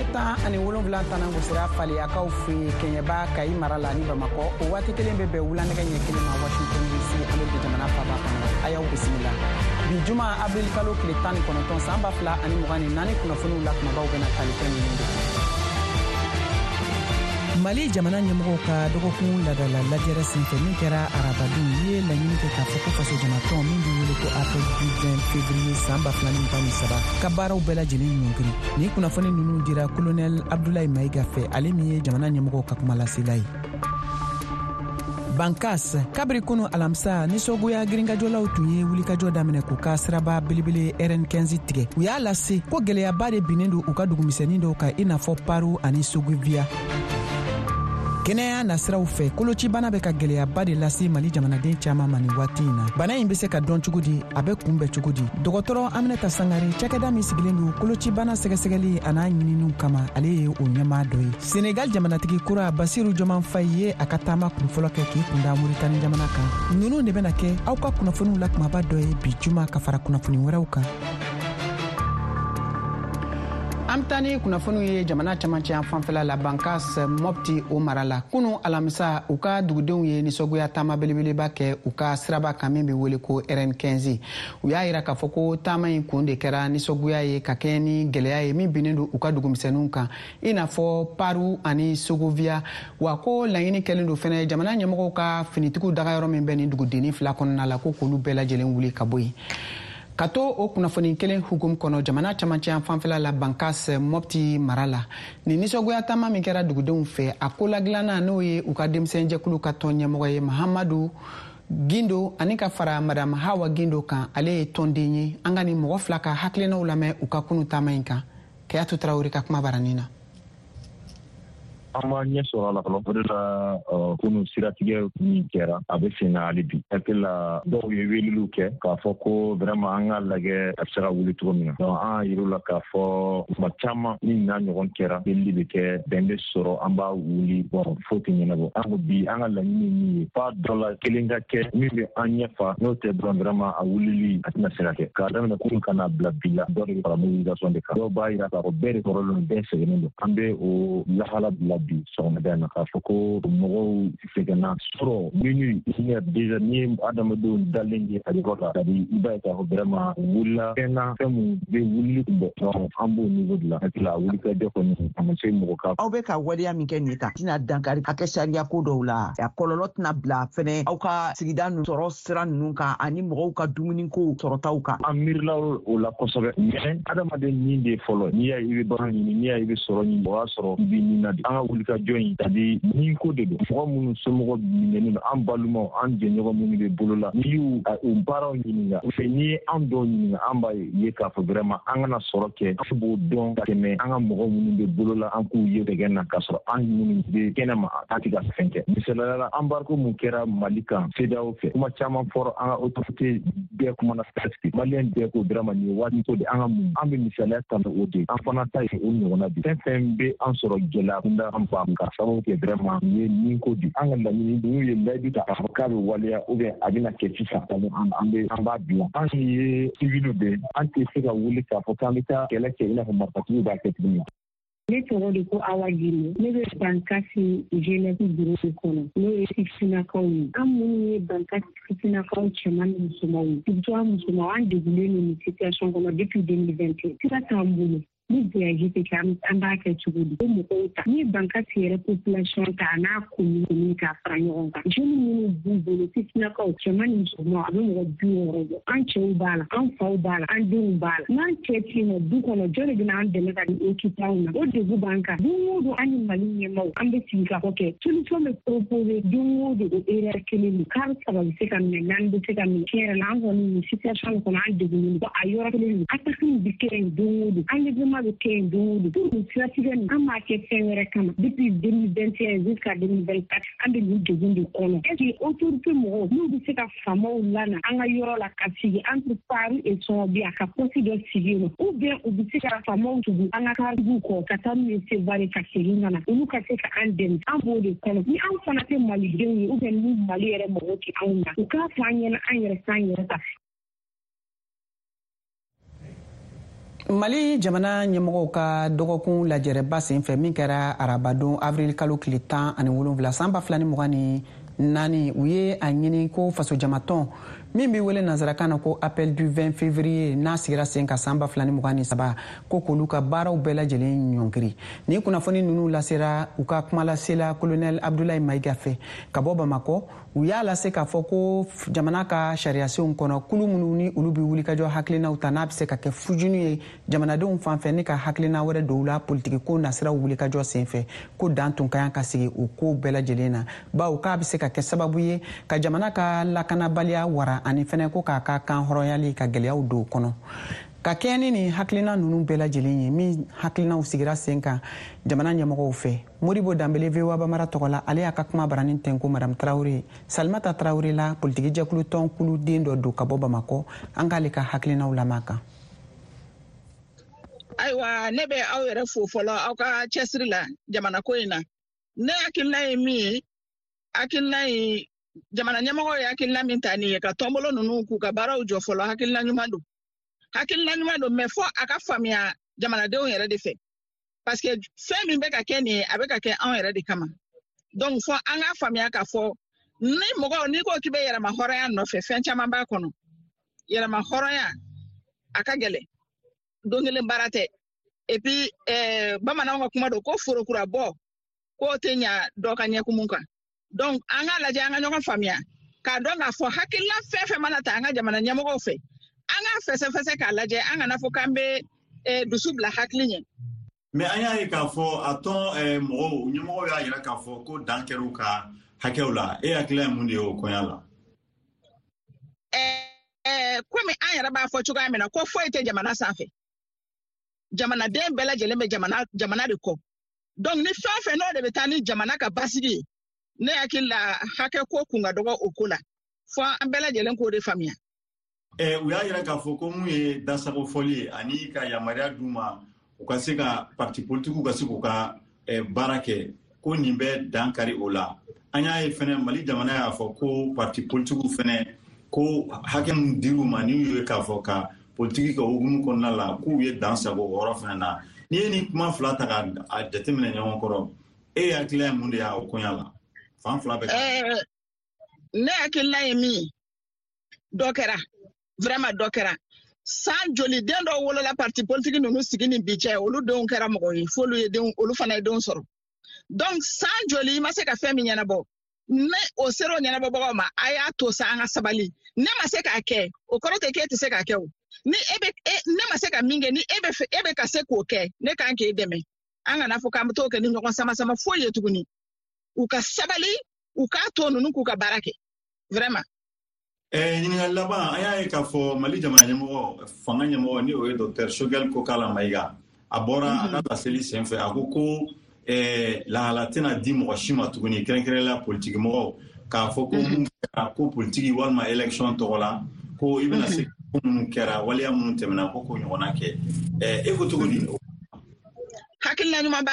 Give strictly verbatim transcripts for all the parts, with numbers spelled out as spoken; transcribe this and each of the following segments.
Nɛgɛ ɲɛ tan ani wolonwula tana gosira Faleyakaw fɛ Kɛɲɛba, Kayi mara la ni Bamakɔ. O waati kelen bɛ bɛn wula nɛgɛ ɲɛ kelen ma Washington D C, Ameriki jamana faaba kɔnɔ. A y'aw bisimila bi juma, avril kalo tile tan ni kɔnɔntɔn, san ba fila ani mugan ni naani. Kunnafoniw la kumabaw bɛna tali kɛ ninnu de kan. Mali jamana ɲɛmɔgɔw ka dɔgɔkun ladala lajɛrɛ senfɛ min kɛra arabadon, u ye laɲini kɛ k'a fɔ ko fasojamatɔn min bɛ wele ko Appel du vingt février san ba fila ni mugan ni saba ka baaraw bɛɛ lajɛlen ɲɔngiri. Ni kunnafoni ninnu dira Kolonɛl Abdulayi Mayiga fɛ, ale min ye jamana ɲɛmɔgɔw ka kumalasela ye. Bankas, kabiri kunu alamisa, nisɔngoya girinkajɔlaw tun ye wulikajɔ daminɛ k'u ka siraba belebele R N quinze tigɛ. U y'a lase ko gwɛlɛyaba de binnen don u ka dugumisɛnnin dɔw kan, i n'a fɔ Paru ani Sogovia. Kɛnɛya nasiraw fɛ, kolocibana bɛ ka gwɛlɛyaba de lase Mali jamanaden caaman ma nin waati in na. Bana in be se ka dɔn cogo di? A bɛ kunbɛn cogo di? Dɔgɔtɔrɔ Aminata Sangare, cakɛda min sigilen don kolocibana sɛgɛsɛgɛli a n'a ɲininiw kama, ale ye o ɲɛmaa dɔ ye. Senegal jamanatigi kura Basiru Joman Fayi ye a ka taama kunfɔlɔ kɛ k'i kunda Moritani jamana kan. Nunu de bɛna kɛ aw ka kunnafoniw la kumaba dɔ ye bi juma, ka fara kunnafoni wɛrɛw kan. An bɛ taa ni kunnafoniw ye jamana camancɛ yan fanfɛla la, Bankas, Mɔpti o mara la. Kunu alamisa, u ka dugudenw ye nisɔngoya taama belebeleba kɛ u ka siraba kan min bɛ wele ko R N quinze. U y'a yira k'a fɔ ko taama in kun de kɛra nisɔngoya ye ka kɛɲɛ ni gɛlɛya ye min binnen don u ka dugumisɛnninw kan, i n'a fɔ Paru ani Sogovia. Wa ko laɲini kɛlen don fɛnɛ, jamana ɲɛmɔgɔw ka finitigiw dagayɔrɔ min bɛ nin dugudenni fila kɔnɔna la, ko k'olu bɛɛ lajɛlen wuli ka bɔ yen. Ka to o kunnafoni kelen hukumu kɔnɔ, jamana camancɛ fanfɛla la, Bankas, Mɔpti mara la, nin nisɔngoya taama min kɛra dugudenw fɛ, a koladilanna n'o ye u ka denmisɛnjɛkulu ka tɔn ɲɛmɔgɔ ye Mahamadu Gindo, ani ka fara Madame Hawa Gindo kan, ale ye tɔnden ye. An ka nin mɔgɔ fila ka hakilinaw lamɛn u ka kunu taama in kan. Kɛyatu Tarawele ka kuma baranin na. An ma ɲɛ sɔrɔ a la fɔlɔ. O de la, kunu siratigɛ min kɛra, a bɛ sen na hali bi. Hakili la, dɔw ye weleliw kɛ k'a fɔ ko vraiment an ka lajɛ a bɛ se ka wuli cogo min na. Donc an y'a yir'u la k'a fɔ tuma caman ni n'a ɲɔgɔn kɛra, delili bɛ kɛ, bɛn bɛ sɔrɔ, an b'a wuli. Bon, foyi tɛ ɲɛnabɔ. An ko bi, an ka laɲini ye min ye, f'a dɔ la kelen ka kɛ min bɛ an ɲɛ fa. N'o tɛ dɔrɔn, vraiment a wulili a tɛna se ka kɛ. K'a daminɛ kunun ka n'a bila bi la, dɔ de bɛ fara mobilisation de kan. Dɔw b'a yira k'a fɔ bɛɛ de kɔrɔlen don, bɛɛ sɛgɛnnen don. An bɛ o lahala bila bi sɔgɔmada in na k'a fɔ ko mɔgɔw sɛgɛnna sɔrɔ minuit, une heure déjà. N'i ye adamadenw dalen ye a yɔrɔ la, c'est-à-dire i b'a ye k'a fɔ vraiment u wulila fɛn na, fɛn mun bɛ wulili kun bɔ. Donc an b'o niveau de la. Hakili la, wulikajɔ kɔni a ma se mɔgɔ ka. Aw bɛ ka waleya min kɛ nin ta tɛna dankari hakɛ sariya ko dɔw la? A kɔlɔlɔ tɛna bila fɛnɛ aw ka sigida ninnu sɔrɔ sira ninnu kan ani mɔgɔw ka dumuniko sɔrɔtaw kan? An miirila o la kosɛbɛ, mais adamaden nin de fɔlɔ. N'i y'a ye i bɛ baara ɲini, n'i y'a ye i bɛ sɔrɔ ɲini, o y'a sɔrɔ i bɛ nin na de. An ka wulikajɔ in, c'est-à-dire nin ko de don. Mɔgɔ minnu somɔgɔ minɛnen don, an balimaw, an jɛɲɔgɔn minnu bɛ bolo la, n'i y'u u baaraw ɲininka, n'i ye an dɔw ɲininka, an b'a ye k'a fɔ vraiment an kana sɔrɔ kɛ, an b'o dɔn ka tɛmɛ an ka mɔgɔ minnu bɛ bolo la, an k'u ye dɛgɛ na, k'a sɔrɔ an minnu bɛ kɛnɛ ma, an tɛ ka fɛn kɛ. Misaliyala la, embargo mun kɛra Mali kan CEDEAO fɛ, kuma caman fɔra, an ka autorité bɛɛ kumana, presque maliyɛn bɛɛ ko vraiment nin ye waati ko de, an ka mun an bɛ misaliya ta o de. An fana ta ye o ɲɔgɔnna de. Fɛn fɛn bɛ an sɔrɔ gɛlɛya kunda, an b'a ka sababu kɛ vraiment nin ye nin ko de. An ka laɲini, n'u ye layidu ta k'a fɔ k'a bɛ waleya ou bien a bɛna kɛ sisan, an bɛ an b'a bila. An ye civil de, an tɛ se ka wuli k'a fɔ k'an bɛ taa kɛlɛ kɛ i n'a fɔ marifatigiw b'a kɛ cogo min. Ne tɔgɔ de ko Awa Gindo. Ne bɛ Bankasi jeunesse bureau de kɔnɔ, n'o ye sifinnakaw ye. An minnu ye Bankasi sifinnakaw cɛman ni musomanw ye, surtout an musomanw, an degunnen don nin situation kɔnɔ depuis deux mille vingt et un. Sira t'an bolo ni voyage tɛ kɛ, an b'a kɛ cogo di? O mɔgɔw ta, n'i ye Bankasi yɛrɛ population ta a n'a commune commune k'a fara ɲɔgɔn kan, jeunes minnu b'u bolo, sifinnakaw cɛman ni musomanw, a bɛ mɔgɔ bi wɔɔrɔ bɔ. An cɛw b'a la, an faw b'a la, an denw b'a la. N'an cɛ tɛ yen nɔ du kɔnɔ, jɔn de bɛna an dɛmɛ ka nin occuper anw na? O degun b'an kan. Don o don, an ni Mali ɲɛmaaw, an bɛ sigi ka fɔ kɛ, solution bɛ proposer don o don, o erreur kelen don. Car saba bɛ se ka minɛ, naani bɛ se ka minɛ. Tiɲɛ yɛrɛ la, an kɔni nin situation kɔnɔ, an degunnen don. A yɔrɔ kelen don, attaque in bɛ kɛ yen don o don, enlèvement bɛ kɛ yen don o don. Pour nin siratigɛ nin, an b'a kɛ fɛn wɛrɛ kama. Depuis deux mille vingt et un jusqu'à deux mille vingt-quatre, an bɛ nin degun de kɔnɔ. Est ce que autorité mɔgɔw, n'u bɛ se ka faamaw lana an ka yɔrɔ la ka sigi entre Paru et Sɔnɔbiya, ka poste dɔ sigi yen nɔ, ou bien u bɛ se ka faamaw tugu an ka karibuw kɔ ka taa n'u ye Sevare ka segin ka na, olu ka se ka an dɛmɛ? An b'o de kɔnɔ. Ni an fana tɛ malidenw ye, ou bien ni Mali yɛrɛ mɔgɔw tɛ anw na, u k'a fɔ an ɲɛna, an yɛrɛ k'an yɛrɛ ta. Mali jamana ɲɛmɔgɔw ka dɔgɔkun lajɛrɛba senfɛ min kɛra arabadon avril kalo tile tan ani wolonwula san ba fila ni mugan ni naani, u ye a ɲini ko fasojamatɔn min bɛ wele nansarakan na ko Appel du vingt février, n'a sigira sen kan san ba fila ni mugan ni saba, ko k'olu ka baaraw bɛɛ lajɛlen ɲɔngiri. Nin kunnafoni ninnu lasera u ka kumalasela Colonel Abdoulaye Maïga fɛ ka bɔ Bamakɔ. U y'a lase k'a fɔ ko jamana ka sariyasenw kɔnɔ, kulu minnu ni olu bɛ wulikajɔ hakilinaw ta, n'a bɛ se ka kɛ fujunu ye jamanadenw fan fɛ ni ka hakilina wɛrɛ dɔw la politikiko nasiraw wulikajɔ senfɛ, ko dan tun ka kan ka sigi o ko bɛɛ lajɛlen na, bawo k'a bɛ se ka kɛ sababu ye ka jamana ka lakanabaliya wara, ani fɛnɛ ko k'a ka kan hɔrɔnyali ka gɛlɛyaw don o kɔnɔ. Ka kɛɲɛ ni nin hakilina ninnu bɛɛ lajɛlen ye min hakilinaw sigira sen kan jamana ɲɛmɔgɔw fɛ, Modibo Danbele V O A Bambara tɔgɔ la, ale y'a ka kuma baranin tɛnko Madame Traoré Salimata Traoré la, politiki jɛkulu tɔn kuluden dɔ don ka bɔ Bamakɔ. An k'ale ka hakilinaw lamɛn kan. Ayiwa, ne bɛ aw yɛrɛ fo fɔlɔ aw ka cɛsiri la jamana ko in na. Ne hakilina ye min ye, hakilina ye jamana ɲɛmɔgɔw ye hakilina min ta nin ye ka tɔnbolo ninnu k'u ka baaraw jɔ fɔlɔ, hakilina ɲuman don. Hakilina ɲuman don, mais fo a ka faamuya jamanadenw yɛrɛ de fɛ, parce que fɛn min bɛ ka kɛ nin ye, a bɛ ka kɛ anw yɛrɛ de kama. Donc fo an k'a faamuya k'a fɔ ni mɔgɔ n'i ko k'i bɛ yɛrɛma hɔrɔnya nɔfɛ, fɛn caman b'a kɔnɔ. Yɛrɛma hɔrɔnya a ka gɛlɛn, don kelen baara tɛ. Et puis eh, bamananw ka kuma don ko forokura bɔ k'o tɛ ɲa dɔ ka ɲɛkumun kan. Donc an k'a lajɛ, an ka ɲɔgɔn faamuya k'a dɔn k'a fɔ hakilina fɛn fɛn mana ta an ka jamana ɲɛmɔgɔw fɛ, an k'a fɛsɛfɛsɛ k'a lajɛ, an kana fɔ k'an bɛ eh, dusu bila hakili ɲɛ. Mais an y'a ye k'a fɔ a tɔn mɔgɔw ɲɛmɔgɔw y'a yira k'a fɔ ko dan kɛra u ka hakɛw la. E hakilina ye mun de ye o koɲa la? Eh, komi an yɛrɛ b'a fɔ cogoya min na ko foyi tɛ jamana sanfɛ, jamanaden bɛɛ lajɛlen bɛ jamana jamana de kɔ. Donc ni fɛn o fɛn n'o de bɛ taa ni jamana ka basigi ye, ne hakili la hakɛ ko kun ka dɔgɔ o ko la, fo an bɛɛ lajɛlen k'o de faamuya. Eh, u y'a yira k'a fɔ ko mun ye dasago fɔli ye ani ka yamaruya d'u ma u ka se ka parti politikiw ka se k'u ka eh, baara kɛ, ko nin bɛ dan kari o la. An y'a ye fɛnɛ Mali jamana y'a fɔ ko parti politikiw fɛnɛ ko hakɛ min dir'u ma ni y'u ye k'a fɔ ka politiki kɛ hukumu kɔnɔna la, k'u ye dan sago o yɔrɔ fɛnɛ na. N'i ye nin kuma fila ta k'a jateminɛ ɲɔgɔn kɔrɔ, e hakilina ye mun de y'a o koɲa la? Fan fila bɛ. Eh, ne hakilina ye min ye, dɔ kɛra, vraiment dɔ kɛra. San joli den dɔw wolola parti politique ninnu sigi ni bi cɛ, olu denw kɛra mɔgɔ ye, f'olu ye denw, olu fana ye denw sɔrɔ. Donc san joli i ma se ka fɛn min ɲɛnabɔ, ne o sera o ɲɛnabɔbagaw ma, a y'a to sa an ka sabali. Ne ma se k'a kɛ, o kɔrɔ tɛ k'e tɛ se k'a kɛ o. Ni e bɛ e, ne ma se ka min kɛ, ni e bɛ e bɛ ka se k'o kɛ, ne kan k'e dɛmɛ. An kana fɔ k'an bɛ t'o kɛ ni ɲɔgɔn sama sama foyi ye tuguni. U ka sabali, u k'a to ninnu k'u ka baara kɛ, vraiment. Eh, ɲininkali laban, an y'a ye k'a fɔ Mali jamana ɲɛmɔgɔ, fanga ɲɛmɔgɔ ni o ye Docteur Choguel Kokala Maïga, a bɔra a ka laseli senfɛ, a ko ko eh, lahala tɛna di mɔgɔ si ma tuguni, kɛrɛnkɛrɛnnenya politiki mɔgɔw, k'a fɔ ko mun kɛra ko politiki walima élection tɔgɔ la, ko i bɛna se ko minnu kɛra, waleya minnu tɛmɛna, ko k'o ɲɔgɔnna kɛ. Eh, e ko cogo di? Hakilina ɲuman ba,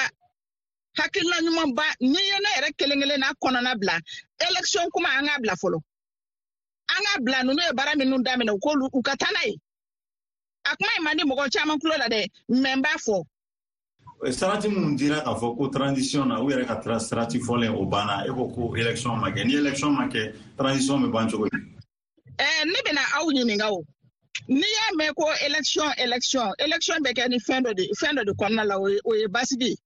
hakilina ɲuman ba. N'i ye ne yɛrɛ kelen kelen n'a kɔnɔna bila, élection kuma an k'a bila fɔlɔ. An k'a bila, ninnu ye baara minnu daminɛ, u k'olu u ka taa n'a ye. A kuma in man di mɔgɔ caman tulo la dɛ, mais n b'a fɔ. Sarati minnu dira k'a fɔ ko transition na, u yɛrɛ ka sarati fɔlen o banna, e ko ko élection ma kɛ. Ni élection ma kɛ, transition bɛ ban cogo di? Eh, ne bɛna aw ɲininka o. N'i y'a mɛn ko élection élection élection bɛ kɛ ni fɛn dɔ de fɛn dɔ de kɔnɔna la, o ye o ye basigi ye.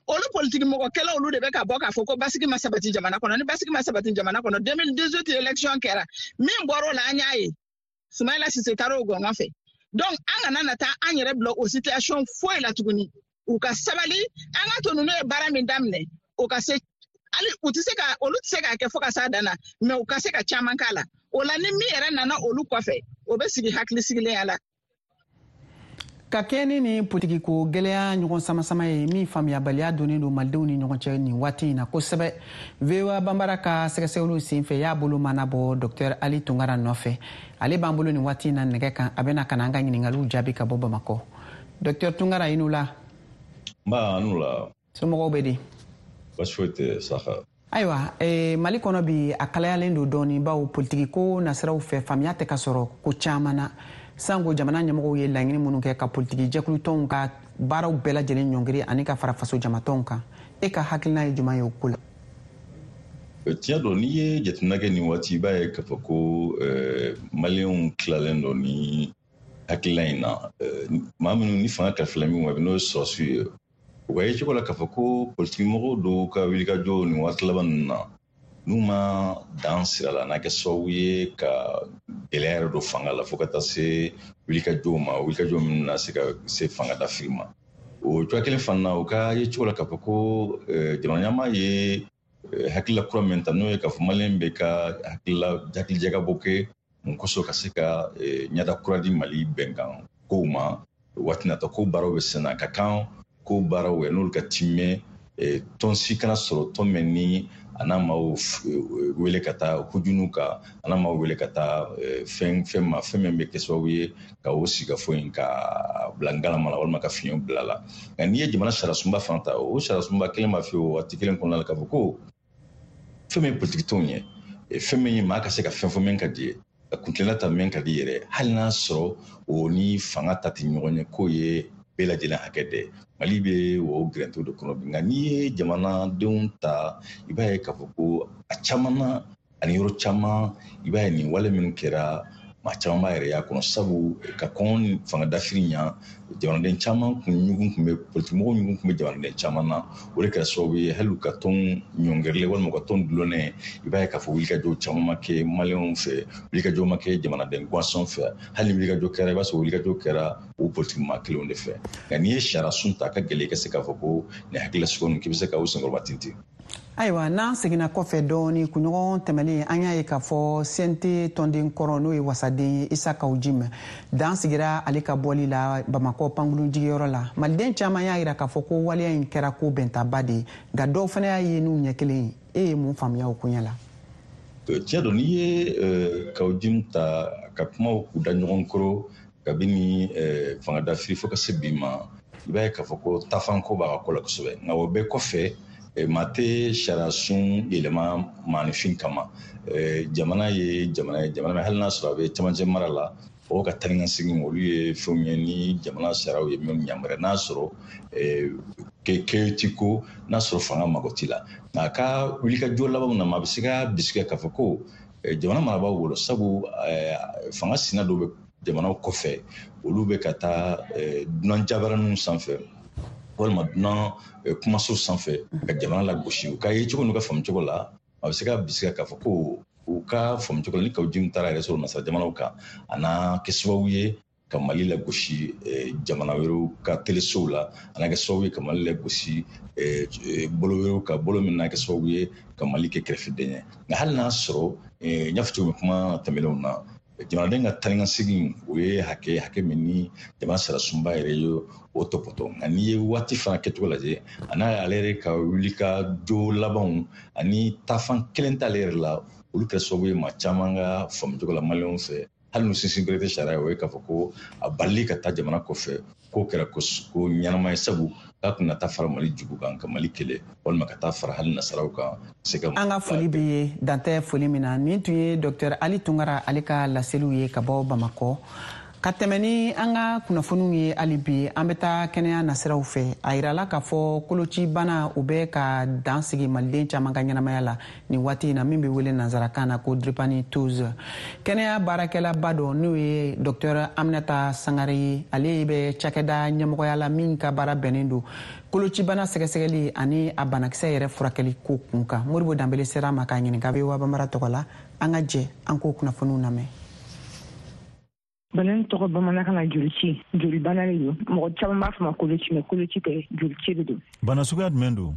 Olu politiki mɔgɔ kɛlɛ, olu de bɛ ka bɔ k'a fɔ ko basigi ma sabati jamana kɔnɔ. Ni basigi ma sabati jamana kɔnɔ, deux mille dix-huit élection kɛra, min bɔra o la an y'a ye, Soumaïla Cissé taara o gɔngɔn fɛ. Donc an kana na taa an yɛrɛ bila o situation foyi la tuguni. U ka sabali, an ka to ninnu ye baara min daminɛ, o ka se hali u tɛ se ka olu tɛ se k'a kɛ fo ka s'a dan na, mais u ka se ka caman k'a la. O la ni min yɛrɛ nana olu kɔfɛ, o bɛ sigi hakili sigilenya la. Ka kɛɲɛ ni nin politikiko gɛlɛya ɲɔgɔn sama-sama ye min faamuyabaliya donnen don malidenw ni ɲɔgɔn cɛ nin waati in na kosɛbɛ, V O A Banbara ka sɛgɛsɛgɛliw senfɛ y'a bolo mana bɔ Docteur Ali Tunkara nɔfɛ. Ale b'an bolo nin waati in na nɛgɛ kan, a bɛna ka na an ka ɲininkaliw jaabi ka bɔ Bamakɔ. Docteur Tunkara, i ni wula. Nba, a ni wula. Somɔgɔw bɛ di? Baasi foyi tɛ Saka. Ayiwa, eh, Mali kɔnɔ bi a kalayalen don dɔɔni, bawo politikiko nasiraw fɛ faamuya tɛ ka sɔrɔ ko caman na. Sango jamana ɲɛmɔgɔw ye laɲini minnu kɛ ka politiki jɛkulu tɔnw ka baaraw bɛɛ lajɛlen ɲɔngiri ani ka fara faso jamatɔnw kan, e ka hakilina ye jumɛn ye o ko la? Tiɲɛ don, n'i ye jateminɛ kɛ nin waati, i b'a ye k'a fɔ ko maliyɛnw tilalen don ni hakilina in na. Maa minnu ni fanga kalifala min ma, n'o ye sɔrɔsiw ye, u ka yecogo la k'a fɔ ko politikimɔgɔw dɔw ka wulikajɔ nin waati laban ninnu na, n'u ma dan sira la, n'a kɛ sababu ye ka gɛlɛya yɛrɛ don fanga la fo ka taa se wulikajɔw ma, wulikajɔ minnu na se ka se fanga dafiri ma. O cogoya kelen fana na, u ka yecogo la k'a fɔ ko jamana ɲɛmaa ye hakilila kura min ta, n'o ye k'a fɔ maliyɛn bɛ ka hakilila hakilijakabɔ kɛ mun kosɔn ka se ka ɲɛda kura di Mali bɛnkan kow ma waati nata, ko baaraw bɛ sen na, ka kan ko baaraw n'olu ka timɛ tɔn si kana sɔrɔ tɔn min ni a n'a maaw wele ka taa hujunu kan, a n'a maaw wele ka taa fɛn fɛn ma, fɛn min bɛ kɛ sababu ye ka o sigikafɔ in ka bila ngalama la walima ka fiɲɛ bila la. Nka n'i ye jamana sariyasunba fana ta, o sariyasunba kelen b'a f'i ye o waati kelen kɔnɔna la k'a fɔ ko fɛn min ye politikitɔnw ye, fɛn min ye maa ka se ka fɛn fɔ min ka di ye, ka kuntilenna ta min ka di yɛrɛ, hali n'a sɔrɔ o ni fanga ta tɛ ɲɔgɔn ye, k'o ye bɛɛ lajɛlen hakɛ dɛ. Mali bɛ o gɛrɛntɛw de kɔnɔ bi. Nka n'i ye jamanadenw ta, i b'a ye k'a fɔ ko a caman na ani yɔrɔ caman, i b'a ye nin wale minnu kɛra, maa caman b'a yɛrɛ y'a kɔnɔ, sabu ka kɔn fanga dafiri ɲa, jamanaden caman kun ɲugun kun bɛ politikimɔgɔw ɲugun kun bɛ jamanaden caman na. O de kɛra sababu ye hali u ka tɔn ɲɔngirilen walima u ka tɔn dulonnen, i b'a ye k'a fɔ wulikajɔ caman ma kɛ maliyɛnw fɛ, wulikajɔ ma kɛ jamanaden gansan fɛ. Hali ni wulikajɔ kɛra, i b'a sɔrɔ wulikajɔ kɛra o politikimaa kelenw de fɛ. Nka n'i ye sariyasun ta, a ka gɛlɛn i ka se k'a fɔ ko nin hakilila sugu ninnu k'i bɛ se ka o senkɔrɔba tintin. Ayiwa, n'an seginna kɔfɛ dɔɔni, kunɲɔgɔn tɛmɛnen an y'a ye k'a fɔ C N T tɔnden kɔrɔ, n'o ye wasaden ye, Isa Kawu Jim, dan sigira ale ka bɔli la Bamakɔ pankurun jigiyɔrɔ la. Maliden caman y'a jira k'a fɔ ko waleya in kɛra ko bɛntaba de ye, nka dɔw fana y'a ye n'u ɲɛ kelen ye. E ye mun faamuya o koɲɛ la? Tiɲɛ don, n'i ye Kawu Jim ta ka kumaw k'u da ɲɔgɔn kɔrɔ kabini fanga dafiri fo ka se bi ma, i b'a ye k'a fɔ ko tafanko b'a ka ko la kosɛbɛ. Nka o bɛɛ kɔfɛ, maa tɛ sariyasun yɛlɛma maaninfin kama. Jamana ye jamana ye, jamana hali n'a sɔrɔ a bɛ camancɛ mara la, o ka taa ni ka segin, olu ye fɛnw ye ni jamana sariyaw ye minnu yamaruya, n'a sɔrɔ kɛ ti ko n'a sɔrɔ fanga mago t'i la. Nka a ka wulikajɔ labanw na, maa bɛ se ka bisigiya k'a fɔ ko jamana marabaaw bolo, sabu fanga sina dɔw bɛ jamanaw kɔfɛ, olu bɛ ka taa dunan jabaraninw sanfɛ walima dunan kumaso sanfɛ ka jamana lagosi. U ka yecogo n'u ka faamucogo la, a bɛ se ka bisigiya k'a fɔ ko u ka faamucogo la, ni Kawu Jim taara yɛrɛ sɔrɔ nasara jamanaw kan, a n'a kɛ sababu ye ka Mali lagosi jamana wɛrɛw ka telesow la, a n'a kɛ sababu ye ka Mali lagosi bolo wɛrɛw ka bolo min n'a kɛ sababu ye ka Mali kɛ kɛrɛfɛden ye. Nka hali n'a sɔrɔ n y'a fɔ cogo min kuma tɛmɛnenw na, jamanaden ka taa ni ka segin, o ye hakɛ hakɛ min ni jamana sariyasunba yɛrɛ ye o tɔpɔtɔ. Nka n'i ye waati fana kɛcogo lajɛ, a n'a ale yɛrɛ ka wuli ka jo labanw ani taafan kelen t'ale yɛrɛ la, olu kɛra sababu ye maa caman ka faamucogo la maliyɛnw fɛ, hali n'u sinsin bere tɛ sariya ye, o ye k'a fɔ ko a balili ka taa jamana kɔfɛ k'o kɛra ko ɲɛnama ye, sabu k'a kun na taa fara Mali jugu kan ka Mali kɛlɛ walima ka taa fara hali nasaraw kan. Se ka an ka foli bɛ ye dantɛ foli min na. Nin tun ye Docteur Ali Tunkara ale ka laseliw ye ka bɔ Bamakɔ. Ka tɛmɛ ni an ka kunnafoniw ye hali bi, an bɛ taa kɛnɛya nasiraw fɛ. A yirala k'a fɔ kolocibana o bɛ ka dan sigi maliden caman ka ɲɛnamaya la nin waati in na, min bɛ wele nansarakan na ko drépanocytose. Kɛnɛya baarakɛlaba dɔ, n'o ye Docteur Aminata Sangare ye, ale bɛ cakɛda ɲɛmɔgɔya la min ka baara bɛnnen don kolocibana sɛgɛsɛgɛli ani a banakisɛ yɛrɛ furakɛli ko kun kan. Modibo Danbele sera a ma k'a ɲininka V O A Bambara tɔgɔ la. An ka jɛ an k'o kunnafoniw lamɛn. Bana in tɔgɔ bamanankan na jolici, jolibana de don. Mɔgɔ caman b'a fɔ ma koloci, mais koloci tɛ, jolici de don. Bana suguya jumɛn don?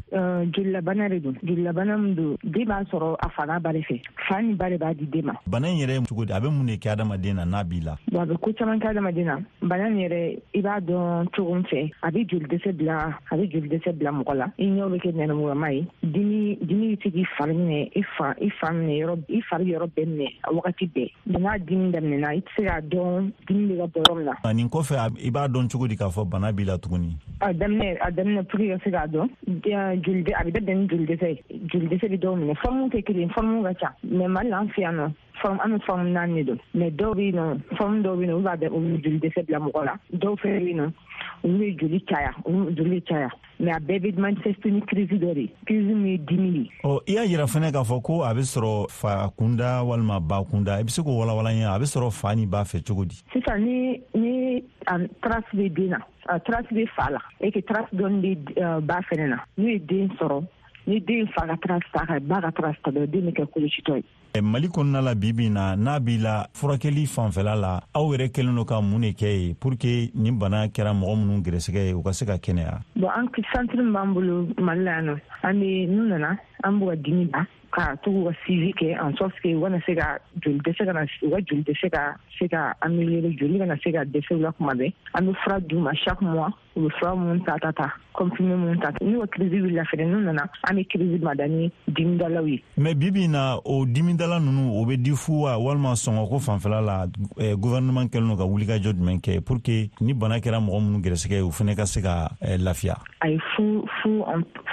Jolilabana de don. Jolilabana min don, den b'a sɔrɔ a fa n'a ba de fɛ. Fa ni ba de b'a di den ma. Bana in yɛrɛ cogo di? A bɛ mun de kɛ adamaden na n'a b'i la? Bon, a bɛ ko caman kɛ adamaden na. Bana in yɛrɛ, i b'a dɔn cogo min fɛ, a bɛ joli dɛsɛ bila, a bɛ joli dɛsɛ bila mɔgɔ la. I ɲɛw bɛ kɛ nɛrɛmugulama ye. Dimi dimi bɛ se k'i fari minɛ, i fa i fa minɛ yɔrɔ, i fari yɔrɔ bɛɛ minɛ a wagati bɛɛ. N'a dimi daminɛna, i tɛ se k'a dɔn dimi bɛ ka bɔ yɔrɔ min na. Nin kɔfɛ, i b'a dɔn cogo di k'a fɔ bana b'i la tuguni? A daminɛ a daminɛ pour que ka se k'a dɔn, joli a bɛ daminɛ ni joli dɛsɛ ye. Joli dɛsɛ bɛ dɔw minɛ, forme tɛ kelen, forme ka ca. Mais Mali la, an fɛ yan nɔ, forme an bɛ forme naani de don, mais dɔw bɛ yen nɔ, forme dɔw bɛ yen nɔ, olu b'a bɛɛ olu joli dɛsɛ bila mɔgɔ la. Dɔw fɛnɛ bɛ yen nɔ, olu bɛ joli caya, olu joli bɛ caya, mais a bɛɛ bɛ manifester ni crise dɔ de ye, crise min ye dimi ye. Ɔ, i y'a yira fɛnɛ k'a fɔ ko a bɛ sɔrɔ fa kunda walima ba kunda, i bɛ se k'o walawala n ye, a bɛ sɔrɔ fa ni ba fɛ cogo di? Sisan ni ni a trace bɛ den na, a trace bɛ fa la et que trace dɔɔni bɛ ba fɛnɛ na, n'u ye den sɔrɔ, ni den fa ka trace ta ka ba ka trace ta dɔrɔn, den bɛ kɛ kolocitɔ ye. Mali kɔnɔna la bi bi na, n'a b'i la furakɛli fanfɛla la, aw yɛrɛ kɛlen don ka mun de kɛ ye pour que nin bana kɛra mɔgɔ minnu gɛrɛsɛgɛ ye, u ka se ka kɛnɛya? Bon, an centre min b'an bolo Mali la yan nɔ, an bɛ n'u nana, an b'u ka dimi ban, ka to k'u ka suivi kɛ en sorte que u kana se ka joli dɛsɛ kana u ka joli dɛsɛ ka se ka améliorer, joli kana se ka dɛsɛ u la kuma bɛɛ. An bɛ fura d'u ma chaque mois, u bɛ fura minnu ta ta ta comprimé minnu ta. N'u ka crise wulila fɛnɛ, n'u nana, an bɛ crise mada ni dimidalaw ye. Mais bi bi in na, o dimidala ninnu, o bɛ di fu wa, walima sɔngɔko fanfɛla la, gouvernement kɛlen don ka wulikajɔ jumɛn kɛ pour que ni bana kɛra mɔgɔ minnu gɛrɛsɛgɛ ye, u fɛnɛ ka se ka lafiya? Ayi, fu fu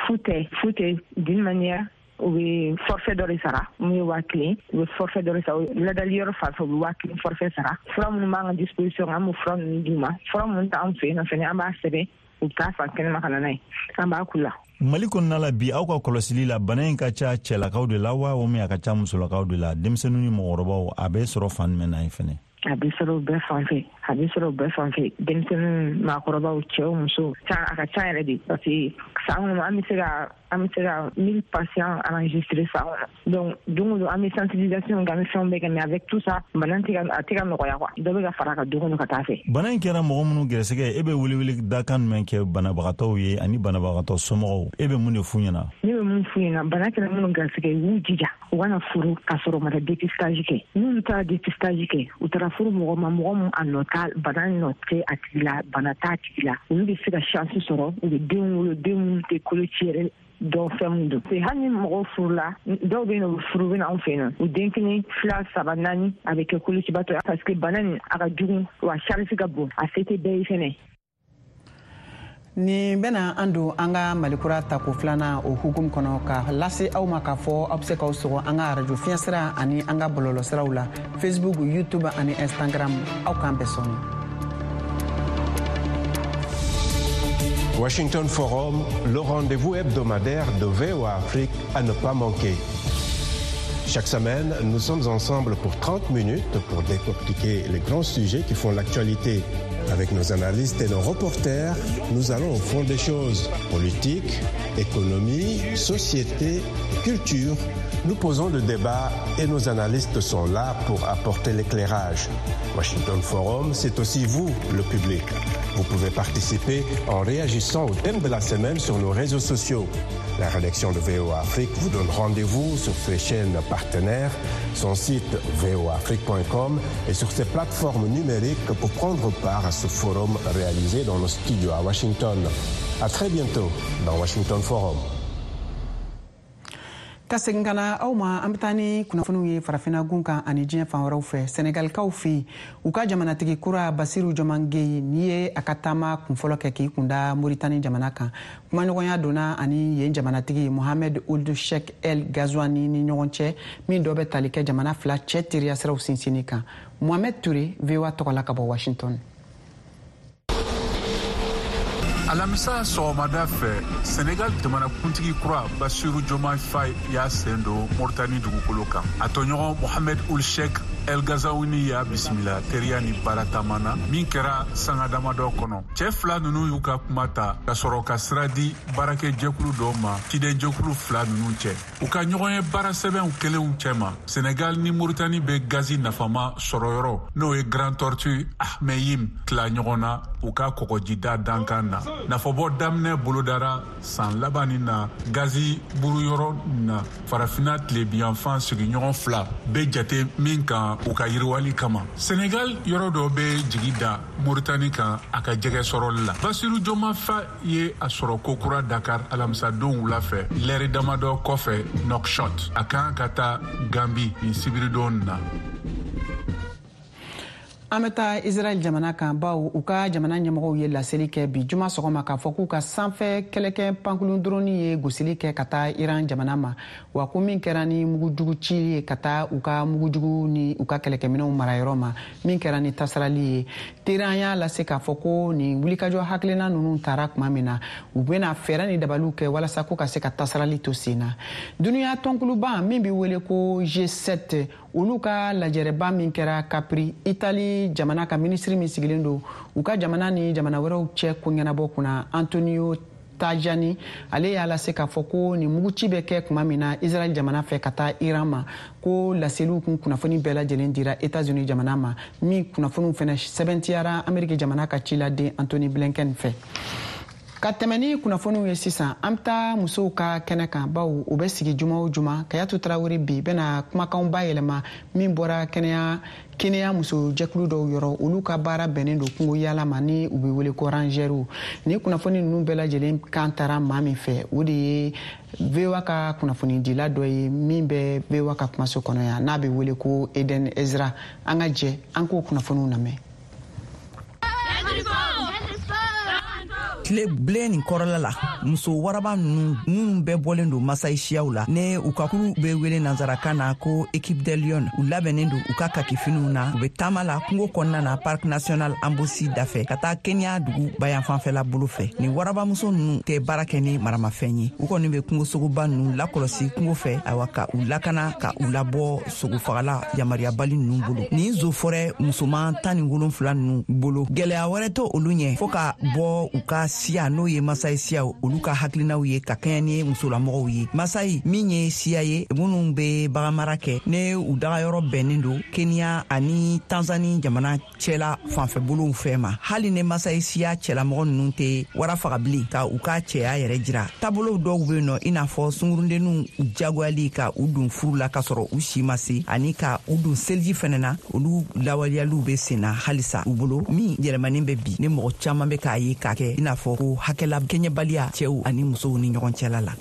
fu tɛ fu tɛ d'une manière, u bɛ forfait dɔ de sara mun ye waa kelen, u bɛ forfait dɔ de sara ladali yɔrɔ fan fɛ, u bɛ waa kelen forfait sara. Fura minnu b'an ka disposition, an b'o fura ninnu d'u ma. Fura minnu t'an fɛ yen nɔ fɛnɛ, an b'a sɛbɛn, u bɛ taa fan kɛnɛma ka na n'a ye, an b'a k'u la. Mali kɔnɔna la bi, aw ka kɔlɔsili la, bana in ka ca cɛlakaw de la wa, o min a ka ca musolakaw de la, denmisɛnninw ni mɔgɔkɔrɔbaw, a bɛ sɔrɔ fan jumɛn na ye fɛnɛ? A bɛ sɔrɔ bɛɛ fan fɛ, a bɛ sɔrɔ bɛɛ fan fɛ, denmisɛnninw, maakɔrɔbaw, cɛw, musow, a ka ca yɛrɛ de, parce que san kɔnɔ an bɛ se ka an bɛ se ka mille patients enregistrés san kɔnɔ. Donc don o don an bɛ sensibilisation kɛ, an bɛ fɛnw bɛɛ kɛ, mais avec tout ça, bana tɛ ka a tɛ ka nɔgɔya quoi, dɔ bɛ ka fara a kan don o don ka taa fɛ. Bana in kɛra mɔgɔ minnu gɛrɛsɛgɛ, e bɛ welewele dakan jumɛn kɛ banabagatɔw ye ani banabagatɔ somɔgɔw, e bɛ mun de f'u ɲɛna? Ne bɛ mun f'u ɲɛna, bana kɛra minnu gɛrɛsɛgɛ, u b'u jija u kana furu k'a sɔrɔ u ma taa dépistage kɛ. N'olu taara dépistage kɛ, u taara furu mɔgɔ ma, mɔgɔ min a nɔ t'a bana nɔ tɛ a tigi la, bana t'a tigi la, olu bɛ se ka chance sɔrɔ, u bɛ denw wolo, den minnu tɛ koloci yɛrɛ dɔn fɛn min don. Hali ni mɔgɔw furula, dɔw bɛ yen nɔ, u furu bɛ na anw fɛ yen nɔ, u den kelen, fila, saba, naani, a bɛ kɛ kolocibatɔ ye, parce que bana nin a ka jugu wa charge ka bon, a se tɛ bɛɛ ye fɛnɛ. Nin bɛna an don an ka Malikura tako filanan o hukumu kɔnɔ, ka lase aw ma k'a fɔ aw bɛ se k'aw sɔgɔ an ka arajo fiɲɛsira ani an ka bɔlɔlɔsiraw la, Facebook, YouTube ani Instagram. Aw k'an bɛɛ sɔnni. Washington Forum, le rendez-vous hebdomadaire de V O A Afrique à ne pas manquer. Chaque semaine, nous sommes ensemble pour trente minutes pour décortiquer les grands sujets qui font l'actualité. Avec nos analystes et nos reporters, nous allons au fond des choses. Politique, économie, société, culture. Nous posons le débat et nos analystes sont là pour apporter l'éclairage. Washington Forum, c'est aussi vous, le public. Vous pouvez participer en réagissant au thème de la semaine sur nos réseaux sociaux. La rédaction de V O A Afrique vous donne rendez-vous sur ses chaînes partenaires, son site v o a afrique point com et sur ses plateformes numériques pour prendre part à ce forum réalisé dans nos studios à Washington. À très bientôt dans Washington Forum. Ka segin ka na aw ma, an bɛ taa ni kunnafoniw ye farafinna gun kan ani diɲɛ fan wɛrɛw fɛ. Senegalikaw fɛ yen, u ka jamanatigi kura Basiru Jomaye Gueye n'i ye a ka taama kunfɔlɔ kɛ k'i kunda Moritani jamana kan, kumaɲɔgɔnya donna ani yen jamanatigi Mohamed Ould Cheikh El Ghazouani ni ɲɔgɔn cɛ, min dɔ bɛ tali kɛ jamana fila cɛ teriya siraw sinsinni kan. Mohamed Touré, V O A tɔgɔ la ka bɔ Washington. Alamisa sɔgɔmada fɛ, Senegal jamanakuntigi kura Basiru Jomaye Faye y'a sen don Moritani dugukolo kan. A tɔɲɔgɔn Mohamed Ould Cheikh El Ghazouani y'a bisimila teriya ni baara taama na min kɛra sanga damadɔ kɔnɔ. Cɛ fila ninnu y'u ka kuma ta ka sɔrɔ ka sira di baarakɛjɛkulu dɔw ma cidenjɛkulu fila ninnu cɛ. U ka ɲɔgɔn ye baara sɛbɛnw kelenw cɛma, Senegal ni Moritani bɛ gazi nafama sɔrɔyɔrɔ n'o ye Grand Tortue Ahmeyim tila ɲɔgɔn na u ka kɔgɔjida dankan na. Nafabɔ daminɛ bolodara san laban nin na gazi buruyɔrɔ na farafinna tilebiyanfan sigiɲɔgɔn fila bɛ jate min kan u ka yiriwali kama. Senegal yɔrɔ dɔ bɛ jigi da Moritani kan a ka jɛgɛ sɔrɔli la. Basiru Jomaye Faye ye a sɔrɔ kokura Dakar alamisadon wula fɛ, lɛri damadɔ kɔfɛ Nouakchott. A kan ka taa Gambi nin sibiridon na. An bɛ taa Israɛl jamana kan, bawo u ka jamana ɲɛmɔgɔw ye laseli kɛ bi juma sɔgɔma k'a fɔ k'u ka sanfɛ kɛlɛkɛ pankurun drone ye gosili kɛ ka taa Iran jamana ma, wa ko min kɛra ni mugujugu ci ye ka taa u ka mugujugu ni u ka kɛlɛkɛminɛnw marayɔrɔ ma, min kɛra ni tasarali ye. Teheran y'a lase k'a fɔ ko nin wulikajɔ hakilina ninnu taara tuma min na, u bɛna fɛɛrɛ ni dabaliw kɛ walasa ko ka se ka tasarali to sen na. Duniya tɔnkuluba min bɛ wele ko G sept, olu ka lajɛrɛba min kɛra Capri, Italie jamana ka minisiri min sigilen don u ka jamana ni jamana wɛrɛw cɛ ko ɲɛnabɔ kunna, Antonio Tajani, ale y'a lase k'a fɔ ko nin muguci bɛ kɛ tuma min na Israɛl jamana fɛ ka taa Iran ma, ko laseliw kun kunnafoni bɛɛ lajɛlen dira États-Unis jamana ma, min kunnafoniw fɛnɛ sɛbɛntiyara Ameriki jamana ka ciladen Antony Blinken fɛ. Ka tɛmɛ ni kunnafoniw ye sisan, an bɛ taa musow ka kɛnɛ kan, bawo u bɛ sigi juma o juma. Kayatu Tarawele bi bɛna kumakanw bayɛlɛma min bɔra kɛnɛya kɛnɛya musojɛkulu dɔw yɔrɔ, olu ka baara bɛnnen don kungo yala ma ni u bɛ wele ko rangers. Ni kunnafoni ninnu bɛɛ lajɛlen kan taara maa min fɛ, o de ye V O A ka kunnafonidila dɔ ye min bɛ V O A ka kumaso kɔnɔ yan, n'a bɛ wele ko Eden Ezra. An ka jɛ an k'o kunnafoniw lamɛn. Tile bilen nin kɔrɔla la, muso waraba ninnu minnu bɛɛ bɔlen don Masayi siyaw la, ne u ka kuru bɛ wele nansarakan na ko Équipe des Lions, u labɛnnen don u ka kakifiniw na, u bɛ taama la kungo kɔnɔna na Parc National Amboseli dafɛ ka taa Kenya dugu bayanfanfɛla bolo fɛ. Nin warabamuso ninnu tɛ baara kɛ ni maramafɛn ye, u kɔni bɛ kungosogoba ninnu lakɔlɔsi kungo fɛ, ayiwa ka u lakana ka u labɔ sogofagala yamaruyabali ninnu bolo. Nin zofɔrɛ musoman tan ni wolonfila ninnu bolo, gɛlɛya wɛrɛ tɛ olu ɲɛ fo ka bɔ u ka siya n'o ye Masayi siyaw olu ka hakilinaw ye ka kɛɲɛ ni musolamɔgɔw ye. Masayi min ye siya ye minnu bɛ baganmara kɛ, ne u dagayɔrɔ bɛnnen don Kenya ani Tanzani jamana cɛla fanfɛbolow fɛ ma. Hali ni Masayi siya cɛlamɔgɔ ninnu tɛ wara faga bilen ka u ka cɛya yɛrɛ jira, taabolow dɔw bɛ yen nɔ i n'a fɔ sungurudenninw jagoyali ka u don furu la k'a sɔrɔ u si ma se, ani ka u don seliji fɛnɛ na, olu lawaleyaliw bɛ sen na halisa u bolo, min yɛlɛmanen bɛ bi ni mɔgɔ caman bɛ k'a ye k'a kɛ i n'a fɔ ko hakɛla kɛɲɛbaliya cɛw ani musow ni ɲɔgɔn cɛla la.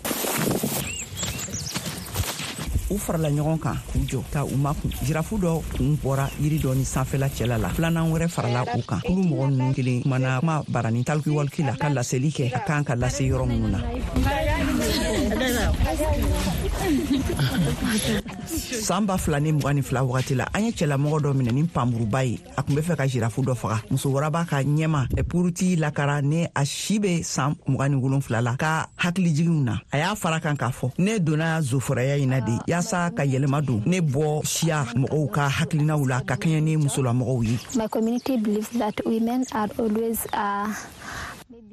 U farala ɲɔgɔn kan k'u jɔ ka u makun. Jirafu dɔ kun bɔra yiri dɔ ni sanfɛla cɛla la, filanan wɛrɛ farala u kan. Kulu mɔgɔ ninnu kelen kumana kuma barani talikuwaliki la ka laseli kɛ a kan ka lase yɔrɔ minnu na. San ba fila ni mugan ni fila wagati la, an ye cɛlamɔgɔ dɔ minɛ ni panmuruba ye, a tun bɛ fɛ ka jirafu dɔ faga. Muso waraba ka ɲɛma Puruti lakara ni a si bɛ san mugan ni wolonfila la ka hakilijiginw na, a y'a fara kan k'a fɔ ne donna zofɔrɔya in na de yaasa ka yɛlɛma don ne bɔ siya mɔgɔw ka hakilinaw la ka kɛɲɛ ni musolamɔgɔw ye. My community believes that women are always uh...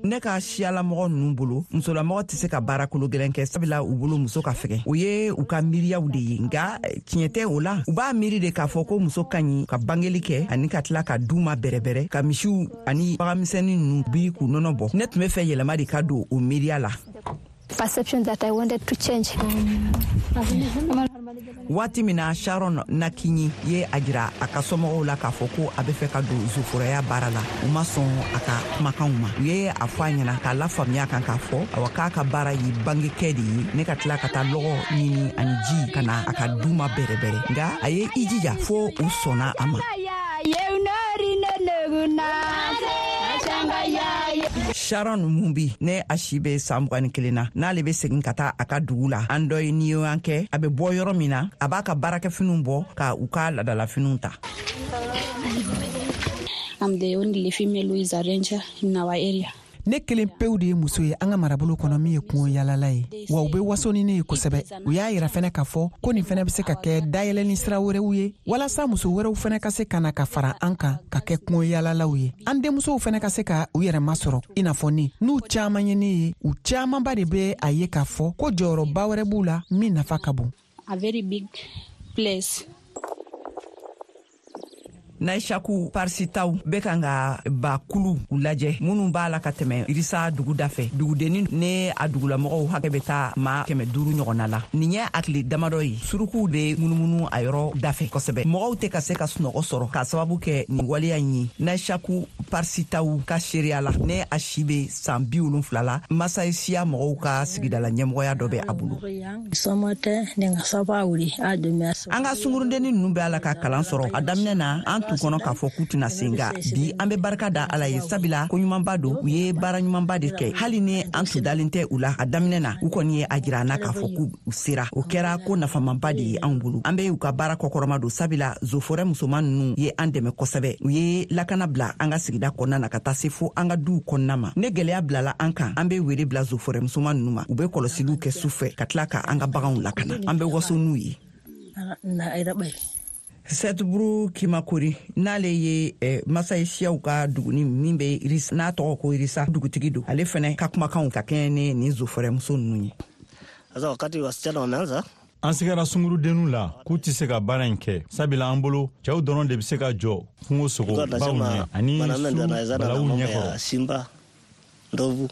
Ne ka siyalamɔgɔ ninnu bolo, musolamɔgɔ tɛ se ka baara kolo gɛlɛn kɛ, sabula u bolo muso ka fɛgɛn. O ye u ka miiriyaw de ye, nka tiɲɛ tɛ o la. U b'a miiri de k'a fɔ ko muso ka ɲi ka bangeli kɛ ani ka tila ka du ma bɛrɛbɛrɛ, ka misiw ani baganmisɛnnin ninnu biri k'u nɔnɔ bɔ. Ne tun bɛ fɛ yɛlɛma de ka don o miiriya la. Perception that I wanted to change. Waati min na Sharon Nakinyi ye a jira a ka somɔgɔw la k'a fɔ ko a bɛ fɛ ka don zoforoya baara la, u ma sɔn a ka kumakanw ma. U ye a fɔ a ɲɛna k'a lafaamuya kan k'a fɔ awa k'a ka baara ye bangekɛ de ye, ne ka tila ka taa lɔgɔ ɲini ani ji ka na a ka du ma bɛrɛbɛrɛ. Nka a ye i jija fo u sɔnna a ma. Sharon Mumbi ne a si bɛ san mugan ni kelen na, n'ale bɛ segin ka taa a ka dugu la, an dɔ ye niyoyan kɛ, a bɛ bɔ yɔrɔ min na, a b'a ka baarakɛfiniw bɔ ka u ka laadalafiniw ta. I'm the only female who is a ranger in our area. Ne kelen pewu de ye muso ye an ka marabolo kɔnɔ min ye kungo yalala ye, wa u bɛ waso ni ne ye kosɛbɛ. U y'a yira fɛnɛ k'a fɔ ko nin fɛnɛ bɛ se ka kɛ dayɛlɛni sira wɛrɛw ye walasa muso wɛrɛw fɛnɛ ka se ka na ka fara an kan ka kɛ kungo yalalaw ye. An denmusow fɛnɛ ka se ka u yɛrɛ masɔrɔ i n'a fɔ ne. N'u caman ye ne ye, u camanba de bɛ a ye k'a fɔ ko jɔyɔrɔba wɛrɛ b'u la min nafa ka bon. A very big place. Naishaku Parsitaw bɛ kan ka bakulu u lajɛ minnu b'a la ka tɛmɛ Irisa dugu dafɛ. Dugudenni ne a dugulamɔgɔw hakɛ bɛ taa maa kɛmɛ duuru ɲɔgɔnna la. Nin ye a tile damadɔ ye, surukuw bɛ munumunu a yɔrɔ dafɛ kosɛbɛ. Mɔgɔw tɛ ka se ka sunɔgɔ sɔrɔ k'a sababu kɛ nin waleya in ye. Naishaku Parsitaw ka seereya la, ne a si bɛ san bi wolonfila la, Masayi siya mɔgɔw ka sigidala ɲɛmɔgɔya dɔ bɛ a bolo. An ka sungurudenni ninnu bɛ a la ka kalan sɔrɔ. A daminɛ na, an tun kɔnɔ k'a fɔ k'u tɛna se, nka bi an bɛ barika da Ala ye, sabula ko ɲumanba don, u ye baara ɲumanba de kɛ. Hali ni an tun dalen tɛ u la a daminɛ na, u kɔni ye a jira an na k'a fɔ k'u sera. O kɛra ko nafamanba de ye anw bolo. An bɛ u ka baara kɔkɔrɔma don, sabula zofɔrɛ musoman ninnu ye an dɛmɛ kosɛbɛ. U ye lakana bila an ka sigida kɔnɔna na ka taa se fo an ka duw kɔnɔna ma. Ne gɛlɛya bilala an kan, an bɛ wele bila zofɔrɛ musoman ninnu ma. U bɛ kɔlɔsiliw kɛ su fɛ ka tila ka an ka baganw lakana. An bɛ waso n'u ye. Sɛtuburu Kimakori, n'ale ye eh, Masayi siyaw ka duguni min bɛ Irisa, n'a tɔgɔ ko Irisa, dugutigi don, ale fɛnɛ ka kumakanw ka kɛɲɛ ni nin zofɔrɛmuso ninnu ye. Sasa wakati wasichana wameanza An sigara sungurudenninw la k'u tɛ se ka baara in kɛ, sabula an bolo cɛw dɔrɔn de bɛ se ka jɔ kungo sogo tulikuwa baw tunasema ɲɛ ani mwanamume su ndio anawezana na balawu mambo ɲɛkɔrɔ. ya simba, ndovu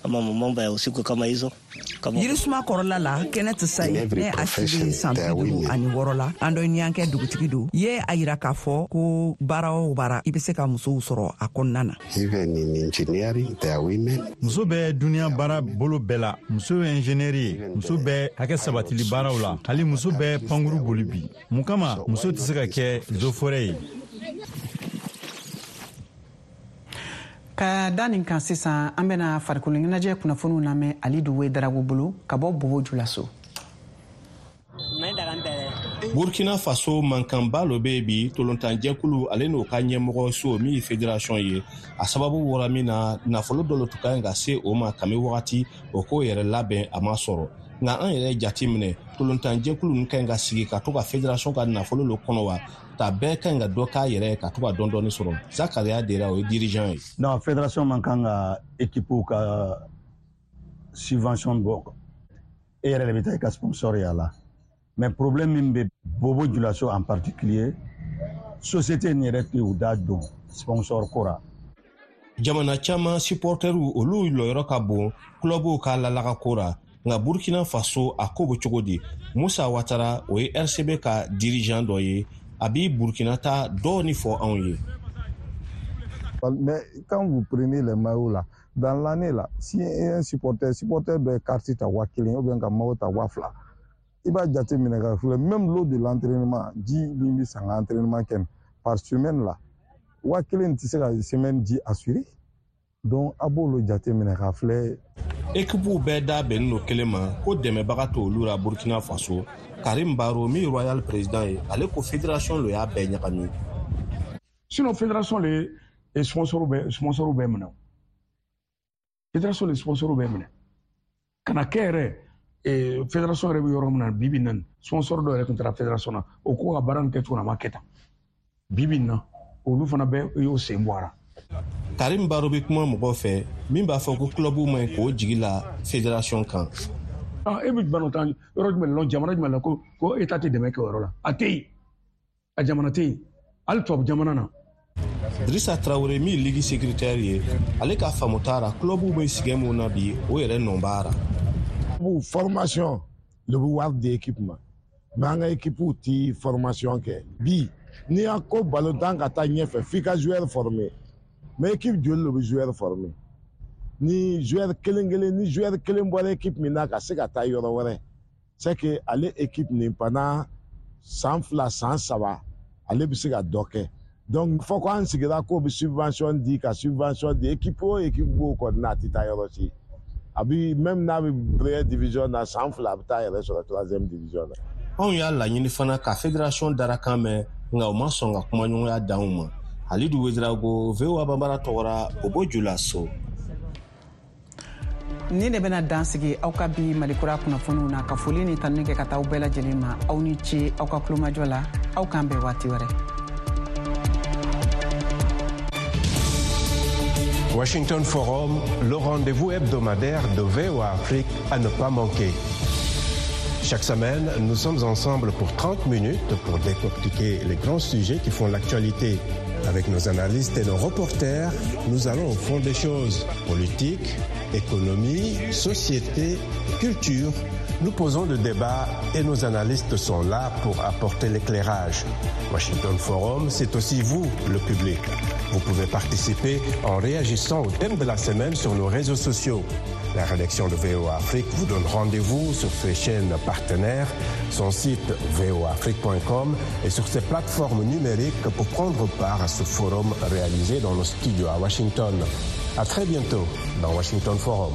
ama mambo ya usiku kama hizo kama Yirisuma kɔrɔla la, Kenneth In Sayi, every ne a si bɛ profession, san there are bi duuru women. ani wɔɔrɔ la, an dɔ ɲankɛ dugutigi don, ye a yira k'a fɔ ko baara o baara, i bɛ se ka musow sɔrɔ a kɔnɔna na. Even in engineering, there are women. Muso bɛ duniya baara bolo bɛɛ la. Muso ye ingénieur ye, muso bɛ hakɛ sabatili baaraw la, hali muso bɛ pankuru boli bi. Mun kama muso tɛ se ka kɛ zofɔrɛ ye? Ka da nin kan sisan, an bɛna farikolo ɲɛnajɛ kunnafoniw lamɛn Alidu Wedarago bolo ka bɔ Bobo Julaso. Burkina Faso, mankanba lo bɛ bi tolontanjɛkulu ale n'o ka ɲɛmɔgɔ so min ye fédération ye. A sababu bɔra min na, nafolo dɔ lo tun ka ɲi ka se o ma kami wagati o k'o yɛrɛ labɛn, a ma sɔrɔ. Nka an yɛrɛ jate minɛ, tolontanjɛkulu ninnu ka ɲi ka sigi ka to ka fédération ka nafolo lo kɔnɔ wa ta bɛɛ ka ɲi ka dɔ k'a yɛrɛ ye ka to ka dɔɔni dɔɔni sɔrɔ. Zakaria Dera, o ye dirigeant ye. Non, fédération man kan ka équipe ka subvention bɔ. E yɛrɛ de bɛ taa i ka sponsor y'a la. Mais problème min bɛ Bobo Julaso en particulier, société nin yɛrɛ tɛ u da don sponsor ko ra. Jamana caman supporteriw, olu lɔyɔrɔ ka bon kulɔbuw ka lalaga ko ra, nka Burkina Faso a ko bɛ cogo di? Musa Watara, o ye R C B ka dirigeant dɔ ye, a bi Burkina ta dɔɔni fɔ anw ye. Mais quand vous prenez les maillots là, dans l'année là, si un supporter, supporter doit carte ta waa kelen ou bien ka maillot ta waa fila, i b'a jate minɛ ka filɛ, même l'eau de l'entraînement, ji min bɛ san ka entraînement kɛ par semaine là, waa kelen tɛ se ka semaine ji assurer. Donc a b'olu jate minɛ ka filɛ. Ekipuw bɛɛ da bɛnnen don kelen ma ko dɛmɛbaga t'olu la Burkina Faso. Karim Baro, min ye Royal président ye, ale ko fédération lo y'a bɛɛ ɲagami. Sinon fédération le sponsor bɛ sponsor bɛɛ minɛ o. Fédération le sponsor bɛɛ minɛ ka na kɛ yɛrɛ eh, fédération yɛrɛ bɛ yɔrɔ min na bi bi in na nin, sponsor dɔ yɛrɛ tun taara fédération na, o ko ka baara nin kɛcogo na, a ma kɛ tan. Bi bi in na, olu fana bɛɛ y'o sen bɔ a la. Karim Baro bɛ kuma mɔgɔw fɛ min b'a fɔ ko club man ɲi k'o jigi la fédération kan. Ah, e bɛ balontan yɔrɔ jumɛn la, jamana jumɛn la ko ko état tɛ dɛmɛ kɛ o yɔrɔ la? A tɛ yen, a jamana tɛ yen, hali tubabu jamana na. Drissa Traoré, min ye ligue secrétaire ye, ale ka faamu t'a ra club bɛ sɛgɛn mun na bi, o yɛrɛ nɔ b'a ra. Bu formation le bɛ wari di équipe ma, mais an ka équipe ti formation kɛ. Bi n'i y'a ko balontan ka taa ɲɛfɛ, f'i ka joueur former, mais équipe joli le bɛ joueur former? Ni joueur kelen kelen, ni joueur kelen bɔra équipe min na ka se ka taa yɔrɔ wɛrɛ, c'est que ale équipe nin, pendant san fila, san saba, ale bɛ se ka dɔ kɛ. Donc fɔ ko an sigira k'o bɛ subvention di ka subvention di équipe o équipe b'o kɔni na, a tɛ taa yɔrɔ si. A bi même n'a bɛ première division na, san fila, a bɛ taa yɛrɛ sɔrɔ troisième division na. Anw y'a laɲini fana ka fédération darakan mɛn, nka u ma sɔn ka kumaɲɔgɔnya d'anw ma. Halidu Wedirago, V O A Banbara tɔgɔra, Bobo Julaso. Ni de bɛna dan sigi aw ka bi Malikura kunnafoniw na, ka foli ni tanuni kɛ ka taa aw bɛɛ lajɛlen ma. Aw ni ce aw ka kulomajɔ la. Aw k'an bɛn waati wɛrɛ. Washington Forum, le rendez-vous hebdomadaire de V O A Afrique à ne pas manquer. Chaque semaine, nous sommes ensemble pour trente minutes pour décortiquer les grands sujets qui font l'actualité. Avec nos analystes et nos reporters, nous allons au fond des choses. Politique, économie, société, culture. Nous posons le débat et nos analystes sont là pour apporter l'éclairage. Washington Forum, c'est aussi vous, le public. Vous pouvez participer en réagissant au thème de la semaine sur nos réseaux sociaux. La rédaction de V O A Afrique vous donne rendez-vous sur ses chaînes partenaires, son site v o a afrique point com et sur ses plateformes numériques pour prendre part à ce forum réalisé dans nos studios à Washington. À très bientôt dans Washington Forum.